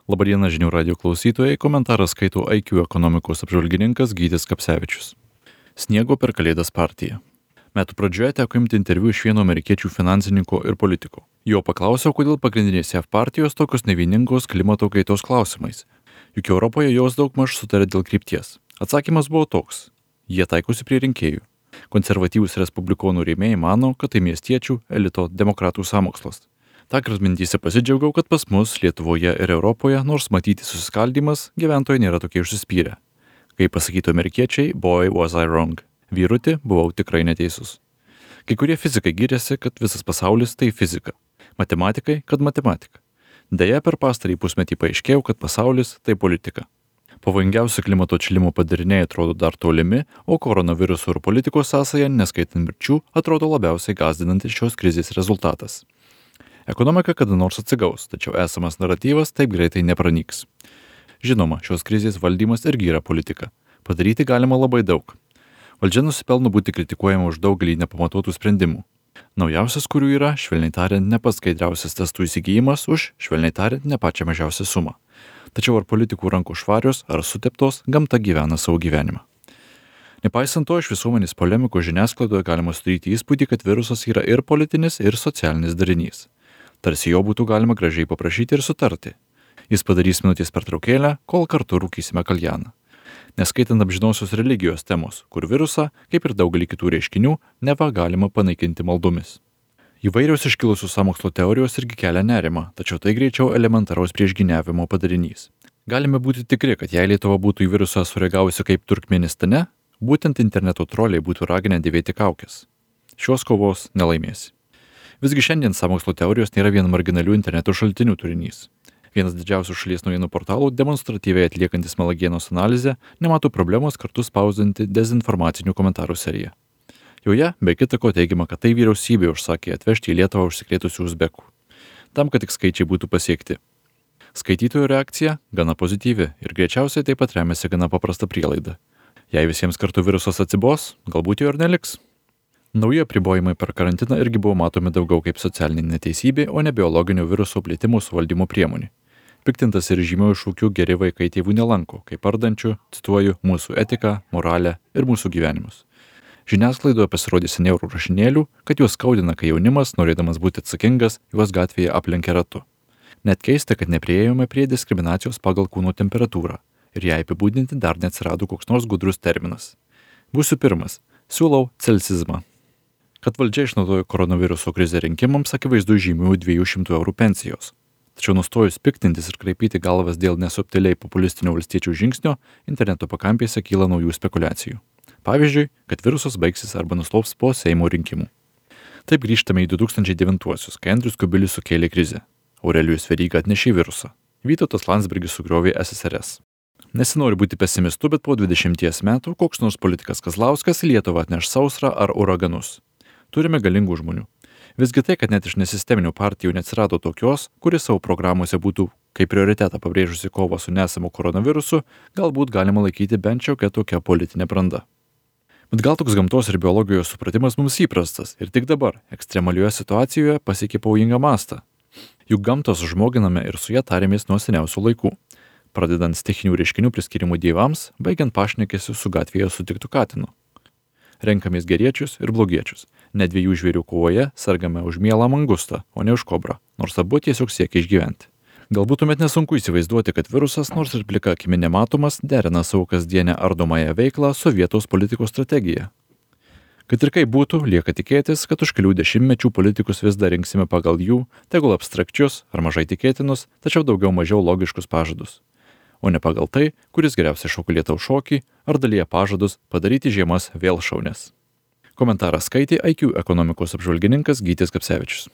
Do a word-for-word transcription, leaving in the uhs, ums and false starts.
Labadiena žinių radio klausytojai, komentarą skaito I Q ekonomikos apžvalgininkas Gytis Kapsevičius. Sniego per Kalėdas partija. Metų pradžioje teko imti interviu iš vieno amerikiečių finansininko ir politiko. Jo paklausiau, kodėl pagrindinės J A V partijos tokios nevieningos klimato kaitos klausimais. Juk Europoje jos daugmaž sutarė dėl krypties. Atsakymas buvo toks. Jie taikosi prie rinkėjų. Konservatyvūs respublikonų rėmėjai mano, kad tai miestiečių, elito, demokratų sąmokslas. Tąkart mintyse pasidžiaugiau, kad pas mus Lietuvoje ir Europoje, nors matyti susiskaldymas, gyventojai nėra tokie užsispyrę. Kaip pasakytų amerikiečiai, boy was I wrong. Vyruti, buvau tikrai neteisus. Kai kurie fizikai giriasi, kad visas pasaulis tai fizika. Matematikai, kad matematika. Deja, per pastarąjį pusmetį paaiškėjo, kad pasaulis tai politika. Pavojingiausi klimato atšilimo padariniai atrodo dar tolimi, o koronaviruso ir politikos sąsaja, neskaitant mirčių, atrodo labiausiai gąsdinantis šios krizės rezultatas. Ekonomika kada nors atsigaus, tačiau esamas naratyvas taip greitai nepranyks. Žinoma, šios krizės valdymas irgi yra politika. Padaryti galima labai daug. Valdžia nusipelno būti kritikuojama už daugelį nepamatuotų sprendimų. Naujausias, kurių yra, švelniai tariant, ne pats skaidriausias testų įsigijimas už, švelniai tariant, ne pačią mažiausią sumą. Tačiau ar politikų rankų švarios, ar suteptos, gamta gyvena savo gyvenimą. Nepaisant to, iš visuomenės polemikų žiniasklaidoje galima sudaryti įspūdį, kad virusas yra ir politinis, ir socialinis darinys. Tarsi jo būtų galima gražiai paprašyti ir sutarti. Jis padarys minutės pertraukėlę, kol kartu rūkysime kaljaną. Neskaitant amžinosios religijos temos, kur virusą, kaip ir daugelį kitų reiškinių, neva galima panaikinti maldomis. Įvairios iškilusios sąmokslo teorijos irgi kelia nerimą, tačiau tai greičiau elementaraus priešgyniavimo padarinys. Galime būti tikri, kad jei Lietuva būtų į virusą sureagavusi kaip Turkmenistane, būtent interneto troliai būtų raginę dėvėti kaukes. Šios kovos nelaimėsi. Visgi šiandien sąmokslo teorijos nėra vien marginalių interneto šaltinių turinys. Vienas didžiausių šalies naujienų portalų, demonstratyviai atliekantis melagienos analizę, nemato problemos kartu spausdinti dezinformacinių komentarų seriją. Joje, be kita ko, teigiama, kad tai vyriausybė užsakė atvežti į Lietuvą užsikrėtusių uzbekų, tam, kad tik skaičiai būtų pasiekti. Skaitytojų reakcija gana pozityvi ir greičiausiai taip pat remiasi gana paprasta prielaida. Jei visiems kartu virusas atsibos, galbūt jo ir neliks. Nauji apribojimai per karantiną irgi buvo matomi daugiau kaip socialinė neteisybė, o ne biologinio viruso plėtimo suvaldymo priemonė. Piktintas ir žymių šūkių geri vaikai tėvų nelanko, kaip ardančių, cituoju, mūsų etiką, moralę ir mūsų gyvenimus. Žiniasklaidoje pasirodė seniaurų rašinėlių, kad juos skaudina, kai jaunimas, norėdamas būti atsakingas, juos gatvėje aplenkia ratu. Net keista, kad nepriėjome prie diskriminacijos pagal kūno temperatūrą ir ją apibūdinti dar neatsirado koks nors gudrus terminas. Būsiu pirmas. Siūlau celsizmą. Kad valdžia išnaudojo koronaviruso krizę rinkimams, akivaizdu žymių dviejų šimtų eurų pensijos. Tačiau nustojus piktintis ir kraipyti galvas dėl nesubtiliai populistinio valstiečių žingsnio, interneto pakampėse kyla naujų spekulacijų. Pavyzdžiui, kad virusas baigsis arba nuslops po Seimo rinkimų. Taip grįžtame į du tūkstančiai devintuosius, kai Andrius Kubilius sukėlė krizę. Aurelijus Veryga atnešė virusą. Vytautas Landsbergis sugriovė S S R S. Nesinori būti pesimistu, bet po dvidešimties metų koks nors politikas Kazlauskas į Lietuvą atneš sausrą ar uraganus. Turime galingų žmonių. Visgi tai, kad net iš nesisteminių partijų neatsirado tokios, kuris savo programuose būtų kaip prioritetą pabrėžusi kovą su nesamu koronavirusu, galbūt galima laikyti bent šiokia tokia politinė branda. Bet gal toks gamtos ir biologijos supratimas mums įprastas ir tik dabar, ekstremalioje situacijoje, pasiekė pavojingą mastą. Juk gamtą sužmoginame ir su ją tarėmės nuo seniausių laikų. Pradedant stichinių reiškinių priskirimų dievams, baigiant pašnekesiu su gatvėje sutiktų katinu. Renkamės geriečius ir blogiečius. Ne dviejų žvėrių kovoje sergame už mielą mangustą, o ne už kobrą, nors abu tiesiog siekia išgyventi. Galbūt tuomet nesunku įsivaizduoti, kad virusas, nors ir plika akimi nematomas, derina savo kasdienę ardomąją veiklą su vietos politikos strategija. Kad ir kaip būtų, lieka tikėtis, kad už kelių dešimtmečių politikus vis dar rinksime pagal jų, tegul abstrakčius ar mažai tikėtinus, tačiau daugiau mažiau logiškus pažadus. O ne pagal tai, kuris geriausiai šoka lietaus šokį ar dalyja pažadus padaryti žiemas vėl šaunias. Komentarą skaitė I Q ekonomikos apžvalgininkas Gytis Kapsevičius.